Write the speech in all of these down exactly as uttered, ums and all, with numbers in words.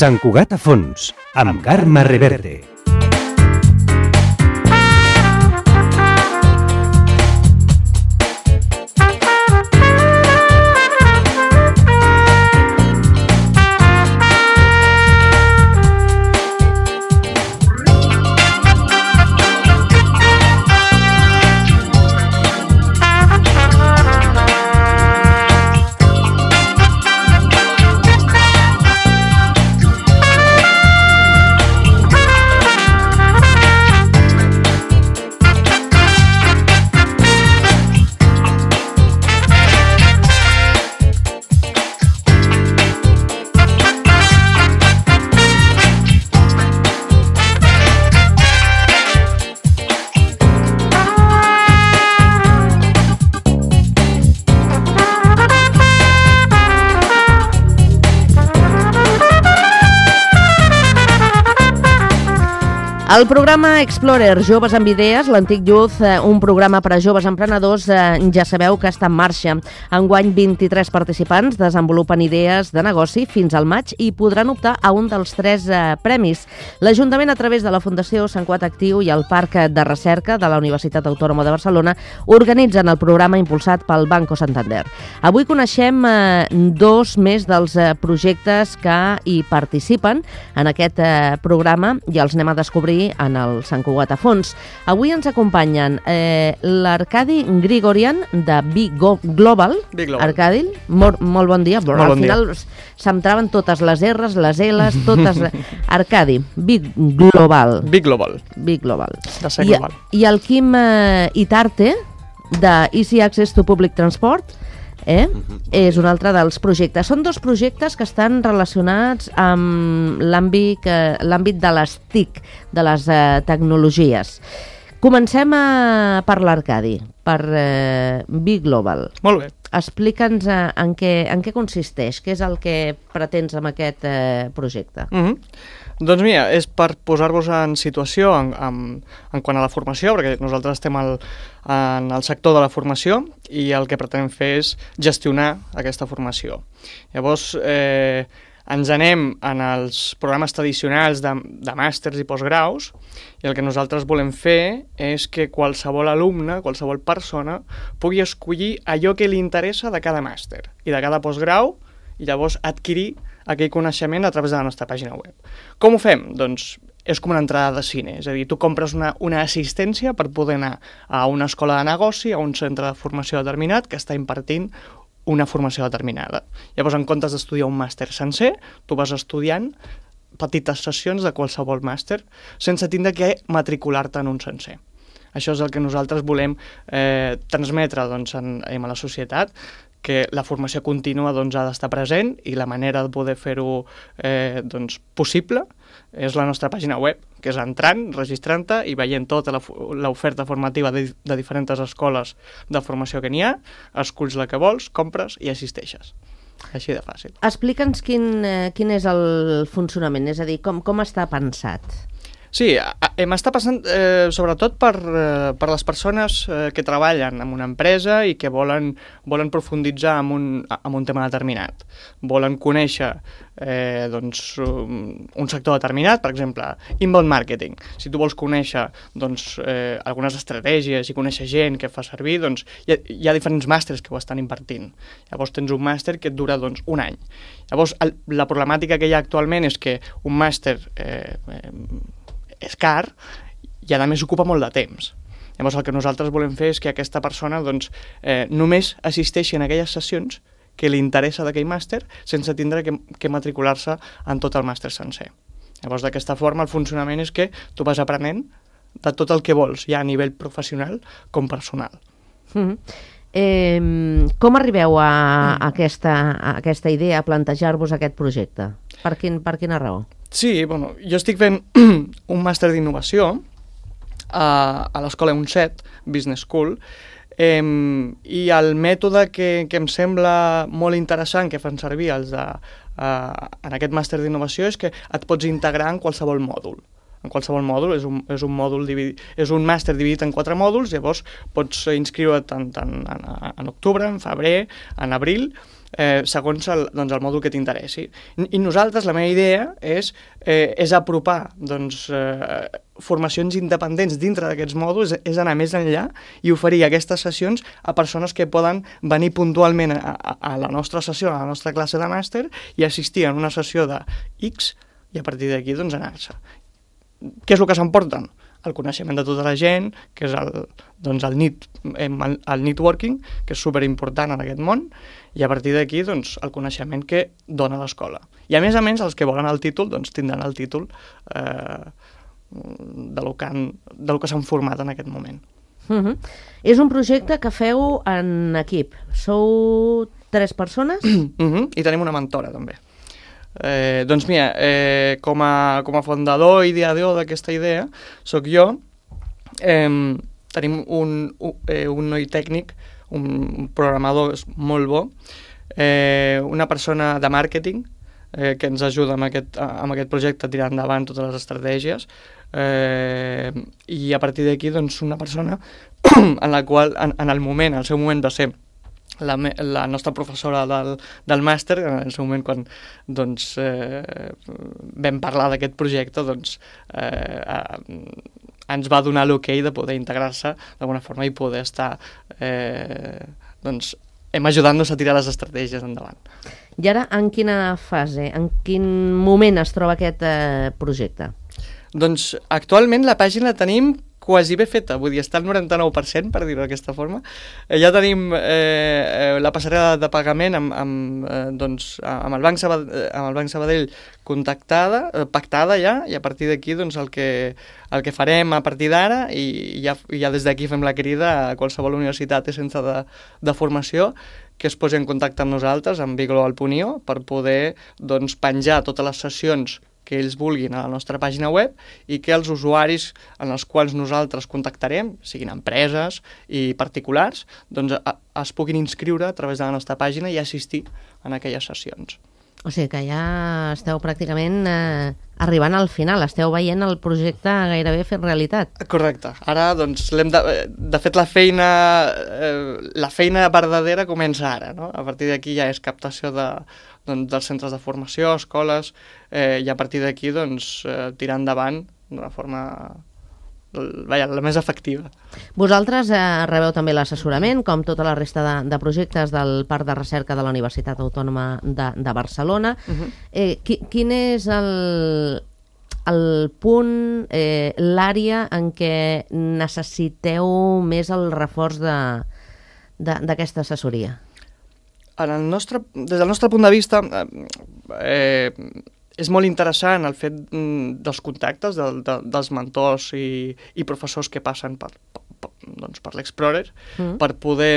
Sant Cugat a fons, amb Carme Reverte. El programa Explorer Joves amb Idees, l'antic Youth, un programa per a joves emprenedors, ja sabeu que està en marxa. Enguany, vint-i-tres participants desenvolupen idees de negoci fins al maig i podran optar a un dels tres eh, premis. L'Ajuntament, a través de la Fundació Sant Cugat Actiu i el Parc de Recerca de la Universitat Autònoma de Barcelona, organitzen el programa impulsat pel Banco Santander. Avui coneixem eh, dos més dels eh, projectes que hi participen en aquest eh, programa i els anem a descobrir en el Sant Cugat a fons. Avui ens acompanyen eh, l'Arcadi Grigorian de Big Global. Big Global. Arcadi, molt, molt bon dia. Molt Al bon final se'm traven totes les R's, les L's, totes... Arcadi, Big Global. Big Global. Big Global. De ser I, global. I el Quim eh, Itarte, de Easy Access to Public Transport, Eh? Uh-huh. És un altre dels projectes. Són dos projectes que estan relacionats amb l'àmbit eh, l'àmbit de les T I C, de les eh, tecnologies. Comencem a, per l'Arcadi, per eh, Big Global. Molt bé. Explica'ns eh, en, què, en què consisteix, què és el que pretens amb aquest eh, projecte. Uh-huh. Doncs mira, és per posar-vos en situació en, en, en quant a la formació, perquè nosaltres estem al, en el sector de la formació i el que pretenem fer és gestionar aquesta formació. Llavors, eh, ens anem en els programes tradicionals de, de màsters i postgraus i el que nosaltres volem fer és que qualsevol alumne, qualsevol persona pugui escollir allò que li interessa de cada màster i de cada postgrau i llavors adquirir aquell coneixement a través de la nostra pàgina web. Com ho fem? Doncs és com una entrada de cine, és a dir, tu compres una, una assistència per poder anar a una escola de negoci, a un centre de formació determinat que està impartint una formació determinada. Llavors, en comptes d'estudiar un màster sencer, tu vas estudiant petites sessions de qualsevol màster sense tindre que matricular-te en un sencer. Això és el que nosaltres volem eh, transmetre doncs, en, en la societat, que la formació contínua doncs, ha d'estar present i la manera de poder fer-ho eh, doncs, possible és la nostra pàgina web, que és entrant, registrant-te i veient tota l'oferta formativa de, de diferents escoles de formació que n'hi ha, esculls la que vols, compres i assisteixes. Així de fàcil. Explica'ns quin, eh, quin és el funcionament, és a dir, com, com està pensat. Sí, m'està passant eh, sobretot per, eh, per les persones eh, que treballen en una empresa i que volen, volen profunditzar en un, en un tema determinat. Volen conèixer eh, doncs, un, un sector determinat, per exemple, inbound marketing. Si tu vols conèixer doncs, eh, algunes estratègies i conèixer gent que fa servir, doncs, hi, ha, hi ha diferents màsters que ho estan impartint. Llavors tens un màster que et dura doncs, un any. Llavors el, la problemàtica que hi ha actualment és que un màster... Eh, eh, és car i a més ocupa molt de temps. Llavors el que nosaltres volem fer és que aquesta persona doncs, eh, només assisteixi en aquelles sessions que li interessa d'aquell màster sense tindre que, que matricular-se en tot el màster sencer. Llavors d'aquesta forma el funcionament és que tu vas aprenent de tot el que vols, ja a nivell professional com personal. Mm-hmm. Eh, com arribeu a, a, aquesta, a aquesta idea, a plantejar-vos aquest projecte? Per, quin, per quina raó? Sí, bueno, jo estic fent un màster d'innovació a, a l'escola UNCET, Business School, eh, i el mètode que, que em sembla molt interessant que fan servir els de, uh, en aquest màster d'innovació és que et pots integrar en qualsevol mòdul. en qualsevol mòdul, és un, és un mòdul dividit, és un màster dividit en quatre mòduls, llavors pots inscriure't en, en, en, en octubre, en febrer, en abril, eh, segons el, doncs, el mòdul que t'interessi. I, I nosaltres, la meva idea és, eh, és apropar doncs, eh, formacions independents dintre d'aquests mòduls, és anar més enllà i oferir aquestes sessions a persones que poden venir puntualment a, a, a la nostra sessió, a la nostra classe de màster i assistir a una sessió de X i a partir d'aquí doncs, anar-se. Què és el que s'emporten? El coneixement de tota la gent, que és el, doncs el, need, el, el networking, que és superimportant en aquest món, i a partir d'aquí doncs, el coneixement que dona l'escola. I a més a més, els que volen el títol doncs, tindran el títol eh, de lo que han, de lo que s'han format en aquest moment. Uh-huh. És un projecte que feu en equip. Sou tres persones? Uh-huh. I tenim una mentora, també. Eh, doncs mira, eh, com, a, com a fundador i ideador d'aquesta idea sóc jo. Eh, tenim un, un, eh, un noi tècnic, un, un programador molt bo, eh, una persona de màrqueting eh, que ens ajuda amb aquest, amb aquest projecte a tirar endavant totes les estratègies, eh, i a partir d'aquí doncs, una persona en la qual en, en el moment, en el seu moment va ser La, la nostra professora del, del màster, en el seu moment quan doncs, eh, vam parlar d'aquest projecte, doncs, eh, eh, ens va donar l'ok de poder integrar-se d'alguna forma i poder estar eh, doncs, hem ajudant-nos a tirar les estratègies endavant. I ara, en quina fase, en quin moment es troba aquest eh, projecte? Doncs actualment la pàgina la tenim quasi bé feta, vull dir, està al noranta-nou per cent, per dir-ho d'aquesta forma. Eh, ja tenim eh, la passarel·la de pagament amb, amb, eh, doncs, amb, el Banc Sabadell, amb el Banc Sabadell contactada, eh, pactada ja, i a partir d'aquí doncs, el, que, el que farem a partir d'ara, i ja, ja des d'aquí fem la crida a qualsevol universitat i centre de, de formació que es posi en contacte amb nosaltres, amb biglobal punt i o, per poder doncs, penjar totes les sessions que ells vulguin a la nostra pàgina web i que els usuaris en els quals nosaltres contactarem, siguin empreses i particulars, doncs a, es puguin inscriure a través de la nostra pàgina i assistir en aquelles sessions. O sigui que ja esteu pràcticament eh, arribant al final, esteu veient el projecte gairebé fer realitat. Correcte. Ara, doncs, l'hem de, de fet, la feina, eh, la feina verdadera comença ara, no? A partir d'aquí ja és captació de, doncs, dels centres de formació, escoles, eh, i a partir d'aquí, doncs, eh, tirar endavant d'una forma Vaja, la més efectiva. Vosaltres eh, rebeu també l'assessorament, com tota la resta de, de projectes del Parc de Recerca de la Universitat Autònoma de, de Barcelona. Uh-huh. eh, qui, quin és el, el punt, eh, l'àrea en què necessiteu més el reforç d'aquesta assessoria? En el nostre, des del nostre punt de vista, eh, és molt interessant el fet dels contactes de, de, dels mentors i, i professors que passen per, per, doncs per l'Explorer, mm. per poder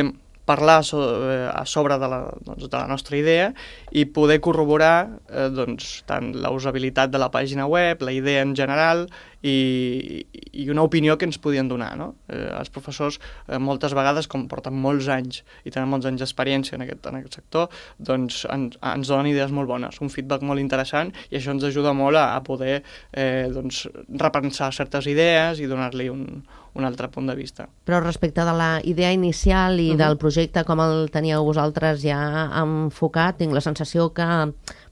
parlar so, eh, a sobre de la, doncs, de la nostra idea i poder corroborar eh, doncs, tant la usabilitat de la pàgina web, la idea en general i, i una opinió que ens podien donar. No? Eh, els professors eh, moltes vegades, com porten molts anys i tenen molts anys d'experiència en, aquest, en aquest sector, doncs en, ens donen idees molt bones, un feedback molt interessant i això ens ajuda molt a, a poder eh, doncs, repensar certes idees i donar-li un, un altre punt de vista. Però respecte de la idea inicial i uh-huh. del projecte, com el teníeu vosaltres ja enfocat, tinc la sensació que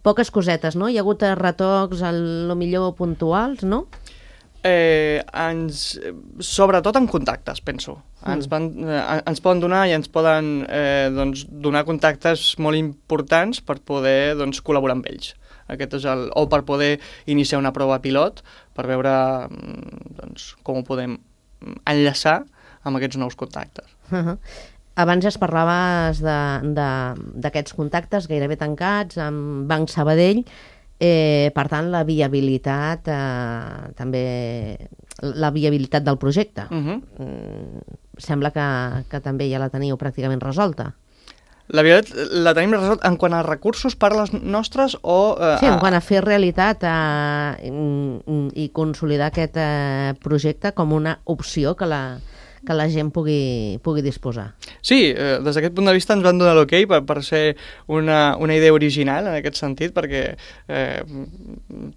poques cosetes, no? Hi ha hagut retocs, el millor puntuals, no? Eh, ens, sobretot en contactes, penso. Mm. Ens, van, eh, ens poden donar i ens poden eh, doncs, donar contactes molt importants per poder doncs, col·laborar amb ells. Aquest és el, o per poder iniciar una prova pilot, per veure doncs, com ho podem enllaçar amb aquests nous contactes. Uh-huh. Abans ja es parlaves d'aquests contactes gairebé tancats amb Banc Sabadell. Eh, per tant, la viabilitat eh, també la viabilitat del projecte uh-huh. mm, sembla que, que també ja la teniu pràcticament resolta. La viabilitat la tenim resolta en quant a recursos per les nostres o... Eh, sí, en quant a fer realitat eh, i consolidar aquest eh, projecte com una opció que la, que la gent pugui, pugui disposar. Sí, eh, des d'aquest punt de vista ens van donar l'ok per, per ser una, una idea original en aquest sentit, perquè eh,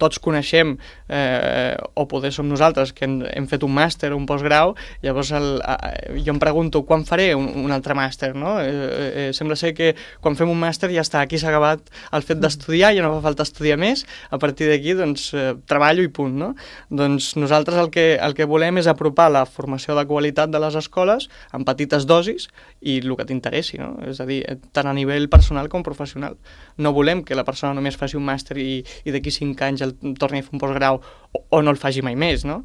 tots coneixem, eh, o poder som nosaltres, que hem, hem fet un màster o un postgrau, llavors el, eh, jo em pregunto quan faré un, un altre màster, no? Eh, eh, sembla ser que quan fem un màster ja està, aquí s'ha acabat el fet d'estudiar, ja no fa falta estudiar més, a partir d'aquí doncs eh, treballo i punt, no? Doncs nosaltres el que, el que volem és apropar la formació de qualitat de les escoles en petites dosis i el que t'interessi, no? És a dir, tant a nivell personal com professional. No volem que la persona només faci un màster i, i d'aquí cinc anys el torni a fer un postgrau o, o no el faci mai més, no?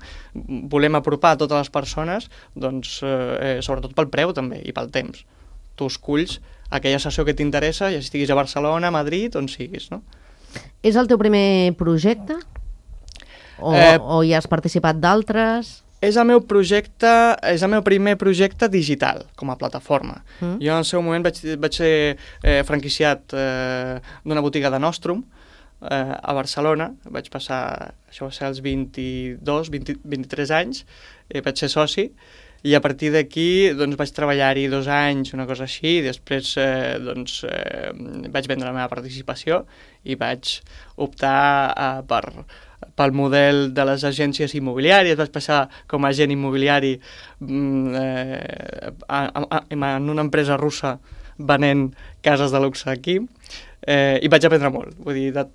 Volem apropar a totes les persones, doncs, eh, sobretot pel preu també i pel temps. Tu esculls aquella sessió que t'interessa, ja estiguis a Barcelona, a Madrid, on siguis, no? És el teu primer projecte? O, Eh, o hi has participat d'altres? És el meu projecte, és el meu primer projecte digital, com a plataforma. Mm. Jo en el seu moment vaig, vaig ser eh, franquiciat eh, d'una botiga de Nostrum eh, a Barcelona. Vaig passar, això va ser als vint-i-dos, vint, vint-i-tres anys, eh, vaig ser soci, i a partir d'aquí doncs, vaig treballar-hi dos anys, una cosa així, i després eh, doncs, eh, vaig vendre la meva participació i vaig optar eh, per... pel model de les agències immobiliàries, vaig passar com a agent immobiliari eh, a, a, en una empresa russa venent cases de luxe aquí, eh, i vaig aprendre molt. Vull dir, de,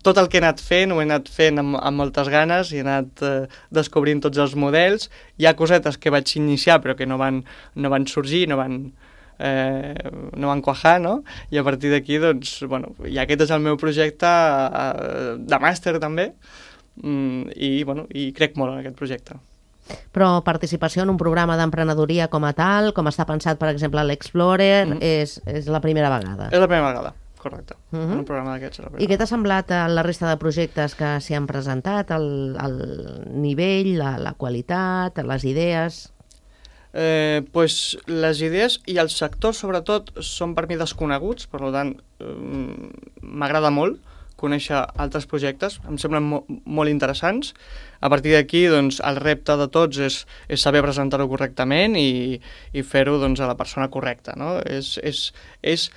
tot el que he anat fent, ho he anat fent amb, amb moltes ganes, i he anat eh, descobrint tots els models. Hi ha cosetes que vaig iniciar però que no van, no van sorgir, no van... Eh, no van quajar, no? I a partir d'aquí, doncs, bueno, i aquest és el meu projecte eh, de màster també, mm, i, bueno, i crec molt en aquest projecte. Però participació en un programa d'emprenedoria com a tal, com està pensat, per exemple, a l'Explorer, mm-hmm. és, és la primera vegada. És la primera vegada, correcte. Mm-hmm. En un programa d'aquests és la primera. I què t'ha semblat a la resta de projectes que s'hi han presentat, el, el nivell, la, la qualitat, les idees? Eh, pues, les idees i els sectors, sobretot, són per mi desconeguts, per tant, eh, m'agrada molt conèixer altres projectes, em semblen mo molt interessants. A partir d'aquí, doncs, el repte de tots és, és saber presentar-ho correctament i, i fer-ho doncs, a la persona correcta, no? És, és, és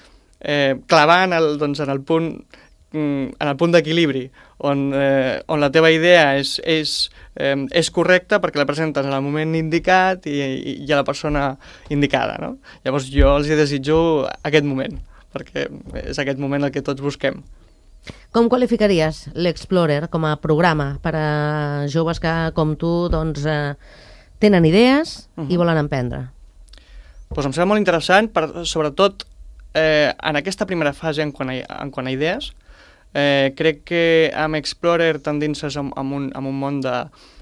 eh, clavar en el, doncs, en el punt en el punt d'equilibri, on, eh, on la teva idea és, és, eh, és correcta perquè la presentes en el moment indicat i, i, i a la persona indicada, no? Llavors jo els desitjo aquest moment, perquè és aquest moment el que tots busquem. Com qualificaries l'Explorer com a programa per a joves que, com tu, doncs, eh, tenen idees uh-huh. i volen emprendre? Pues em sembla molt interessant, per, sobretot eh, en aquesta primera fase en quant a, en quant a idees. Eh, crec que amb Explorer t'endinses en, en, un, en un món de,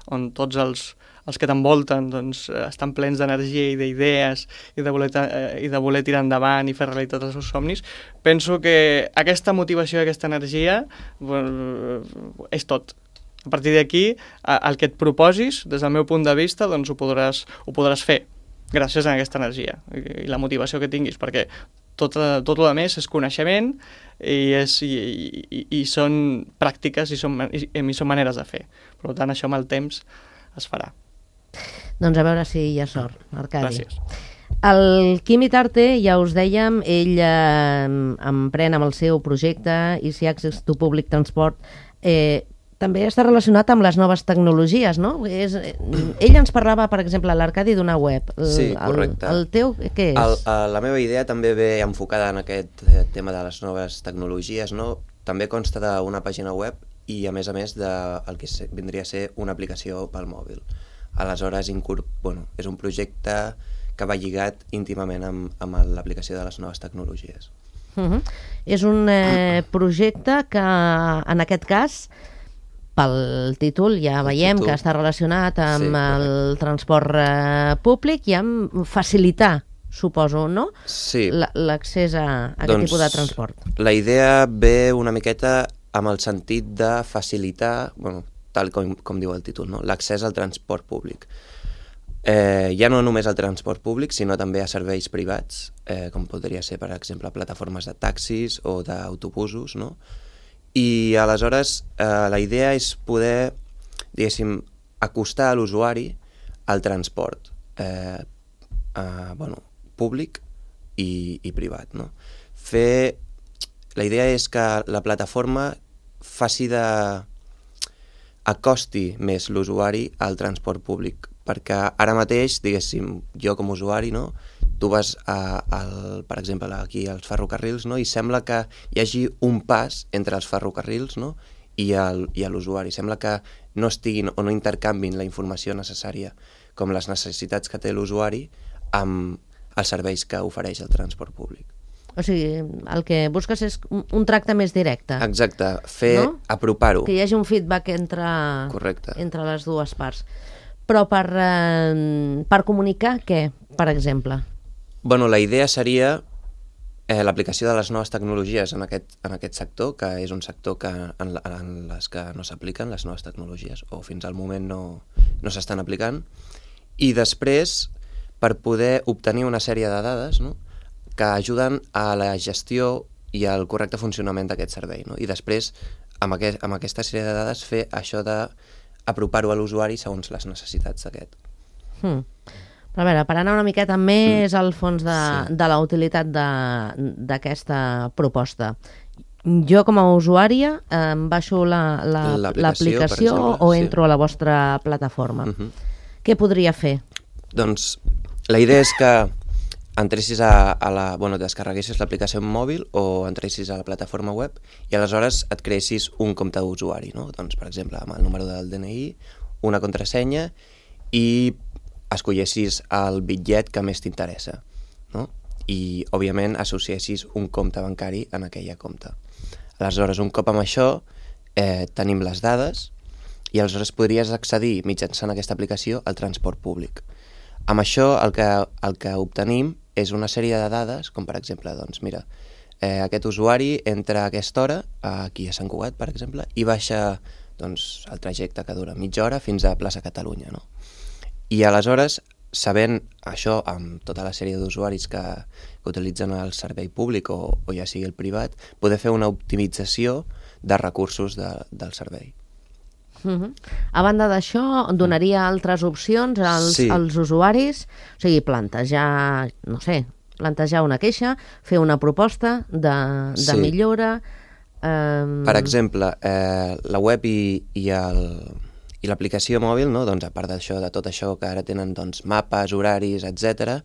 on tots els, els que t'envolten doncs, estan plens d'energia i d'idees i, de voler, eh, i de voler tirar endavant i fer realitat els seus somnis. Penso que aquesta motivació i aquesta energia bueno, és tot. A partir d'aquí, el que et proposis, des del meu punt de vista, doncs ho podràs, ho podràs fer gràcies a aquesta energia i, i la motivació que tinguis, perquè tot, tot el més és coneixement i, és, i, i, i són pràctiques i són, i, i són maneres de fer. Per tant, això amb el temps es farà. Doncs a veure si hi ha sort, Arcadi. Gràcies. El Quim Itarte, ja us dèiem, ell eh, emprèn amb el seu projecte Easy Access to Public Transport. Eh, també està relacionat amb les noves tecnologies, no? És, ell ens parlava, per exemple, l'Arcadi d'una web. El, sí, correcte. El, el teu, què és? El, el, la meva idea també ve enfocada en aquest tema de les noves tecnologies, no? També consta d'una pàgina web i, a més a més, de el que vindria a ser una aplicació pel mòbil. Aleshores, bueno, és un projecte que va lligat íntimament amb, amb l'aplicació de les noves tecnologies. Uh-huh. És un eh, projecte que, en aquest cas, pel títol ja veiem títol. que està relacionat amb sí, el transport eh, públic i amb facilitar, suposo, no? Sí. L'accés a, a aquest doncs, tipus de transport. La idea ve una miqueta amb el sentit de facilitar, bueno, tal com, com diu el títol, no? L'accés al transport públic. Eh, ja no només al transport públic, sinó també a serveis privats, eh, com podria ser, per exemple, plataformes de taxis o d'autobusos, no? I aleshores eh, la idea és poder, diguéssim, acostar a l'usuari al transport eh, eh, bueno, públic i, i privat, no? Fer... La idea és que la plataforma faci de... acosti més l'usuari al transport públic, perquè ara mateix, diguéssim, jo com a usuari, no? Tu vas, a, al, per exemple, aquí als ferrocarrils, no? I sembla que hi hagi un pas entre els ferrocarrils, no? i, el, i l'usuari. Sembla que no estiguin o no intercanvin la informació necessària com les necessitats que té l'usuari amb els serveis que ofereix el transport públic. O sigui, el que busques és un, un tracte més directe. Exacte, fer, no? apropar-ho. Que hi hagi un feedback entre, Correcte. entre les dues parts. Però per, eh, per comunicar què, per exemple? Bueno, la idea seria eh, l'aplicació de les noves tecnologies en aquest, en aquest sector, que és un sector que, en, en les que no s'apliquen les noves tecnologies, o fins al moment no, no s'estan aplicant, i després per poder obtenir una sèrie de dades, no?, que ajuden a la gestió i al correcte funcionament d'aquest servei, no? I després, amb, aquest, amb aquesta sèrie de dades, fer això d'apropar-ho a l'usuari segons les necessitats d'aquest. Hmm. Però a veure, per anar una miqueta més mm. al fons de, sí. de la utilitat d'aquesta proposta. Jo, com a usuària, em baixo l'aplicació la, o entro sí. a la vostra plataforma. Uh-huh. Què podria fer? Doncs la idea és que entressis a, a la... Bueno, descarreguessis l'aplicació mòbil o entressis a la plataforma web i aleshores et creessis un compte d'usuari, no? Doncs, per exemple, amb el número del D N I, una contrasenya i escollessis el bitllet que més t'interessa, no? I, òbviament, associessis un compte bancari en aquella compte. Aleshores, un cop amb això, eh, tenim les dades i aleshores podries accedir mitjançant aquesta aplicació al transport públic. Amb això el que, el que obtenim és una sèrie de dades, com per exemple, doncs mira, eh, aquest usuari entra a aquesta hora, aquí a Sant Cugat, per exemple, i baixa doncs, el trajecte que dura mitja hora fins a Plaça Catalunya, no? I aleshores, sabent això amb tota la sèrie d'usuaris que, que utilitzen el servei públic o, o ja sigui el privat, poder fer una optimització de recursos de, del servei. Uh-huh. A banda d'això, donaria altres opcions als, sí. als usuaris, o sigui, plantejar, no sé, plantejar una queixa, fer una proposta de, de sí. millora... Um... Per exemple, eh, la web i, i, el, i l'aplicació mòbil, no? Doncs a part d'això, de tot això que ara tenen doncs, mapes, horaris, etcètera,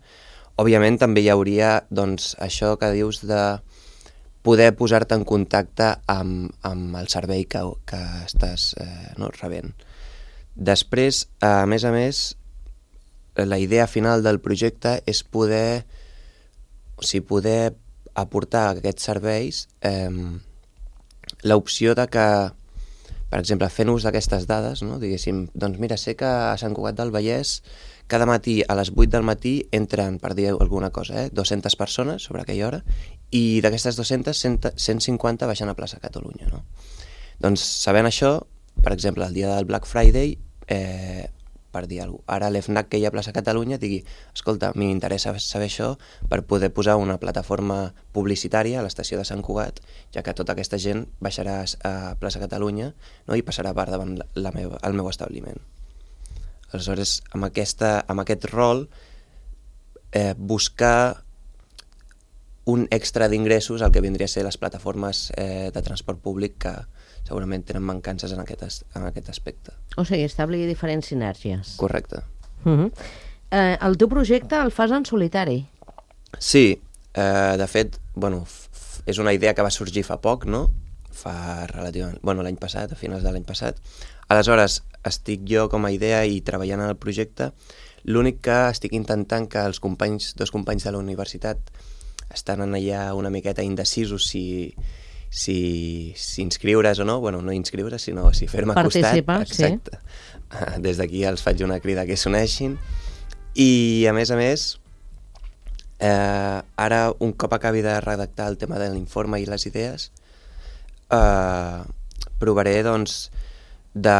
òbviament també hi hauria doncs, això que dius de poder posar-te en contacte amb, amb el servei que, que estàs eh, no, rebent. Després, a més a més, la idea final del projecte és poder, o sigui, poder aportar a aquests serveis eh, l'opció de que, per exemple, fent ús d'aquestes dades, no, diguéssim, doncs mira, sé que a Sant Cugat del Vallès cada matí a les vuit del matí entren, per dir alguna cosa, eh, dues-centes persones sobre aquella hora, i d'aquestes dues-centes, cent cinquanta baixen a Plaça Catalunya, no? Doncs sabent això, per exemple, el dia del Black Friday, eh, per dir alguna cosa, ara l'EFNAC que hi ha a Plaça Catalunya digui, escolta, m'interessa saber això per poder posar una plataforma publicitària a l'estació de Sant Cugat, ja que tota aquesta gent baixarà a Plaça Catalunya, no? I passarà per davant la meva, el meu establiment. Aleshores, amb, aquesta, amb aquest rol, eh, buscar un extra d'ingressos al que vindria a ser les plataformes eh, de transport públic que segurament tenen mancances en aquest, en aquest aspecte. O sigui, establir diferents sinergies. Correcte. Uh-huh. eh, el teu projecte el fas en solitari? Sí, eh, de fet, bueno, f f és una idea que va sorgir fa poc, no? Fa relativament... Bueno, l'any passat, a finals de l'any passat. Aleshores, estic jo com a idea i treballant en el projecte. L'únic que estic intentant que els companys, dos companys de la universitat estan allà una miqueta indecisos si, si, si inscriure's o no, bueno, no inscriure's, sinó si fer-me costat. Participar, exacte. Sí. Des d'aquí els faig una crida que s'uneixin. I, a més a més, eh, ara, un cop acabi de redactar el tema de l'informe i les idees, eh, provaré, doncs, de...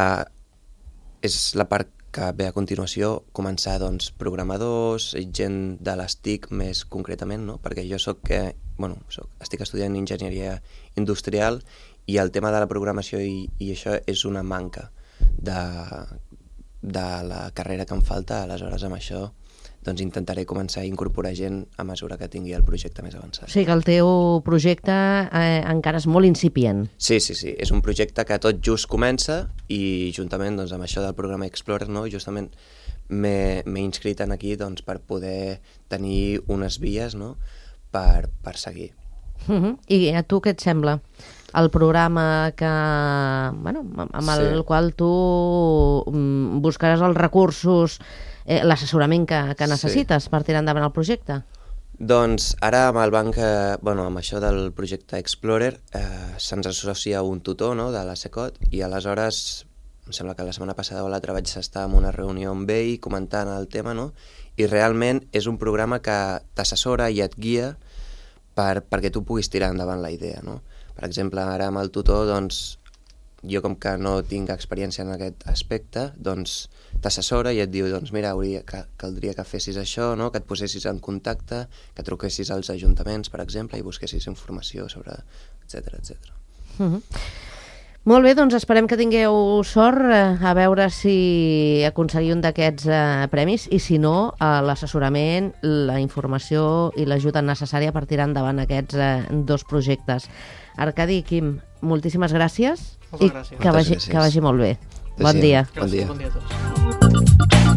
És la part que ve a continuació, començar, doncs, programadors, gent de les T I C més concretament, no? Perquè jo soc, que, bueno, soc, estic estudiant enginyeria industrial i el tema de la programació i, i això és una manca de, de la carrera que em falta, aleshores amb això doncs intentaré començar a incorporar gent a mesura que tingui el projecte més avançat. O sigui que el teu projecte eh, encara és molt incipient. Sí, sí, sí. És un projecte que tot just comença i juntament doncs, amb això del programa Explorer, no, justament m'he inscrit en aquí doncs, per poder tenir unes vies, no, per, per seguir. Uh-huh. I a tu què et sembla? El programa que, bueno, amb el sí. qual tu buscaràs els recursos, eh, l'assessorament que, que necessites sí. per tirar endavant el projecte? Doncs ara amb el banc, eh, bueno, amb això del projecte Explorer, eh, se'ns associa un tutor, no, de la SECOT, i aleshores em sembla que la setmana passada o l'altra vaig estar en una reunió amb ell comentant el tema, no? I realment és un programa que t'assessora i et guia per, perquè tu puguis tirar endavant la idea, no? Per exemple, ara amb el tutor, doncs, jo com que no tinc experiència en aquest aspecte, doncs t'assessora i et diu, doncs mira, hauria, que, caldria que fessis això, no? Que et posessis en contacte, que truquessis als ajuntaments, per exemple, i busquessis informació sobre, etcètera, etcètera. Uh-huh. Molt bé, doncs esperem que tingueu sort, eh, a veure si aconseguiu un d'aquests eh, premis i si no, eh, l'assessorament, la informació i l'ajuda necessària per tirar endavant aquests eh, dos projectes. Arcadi i Quim, moltíssimes gràcies Moltes i gràcies. que vagi, gràcies. que vagi molt bé. Sí, Bon dia. Bon dia. Bon dia a tots.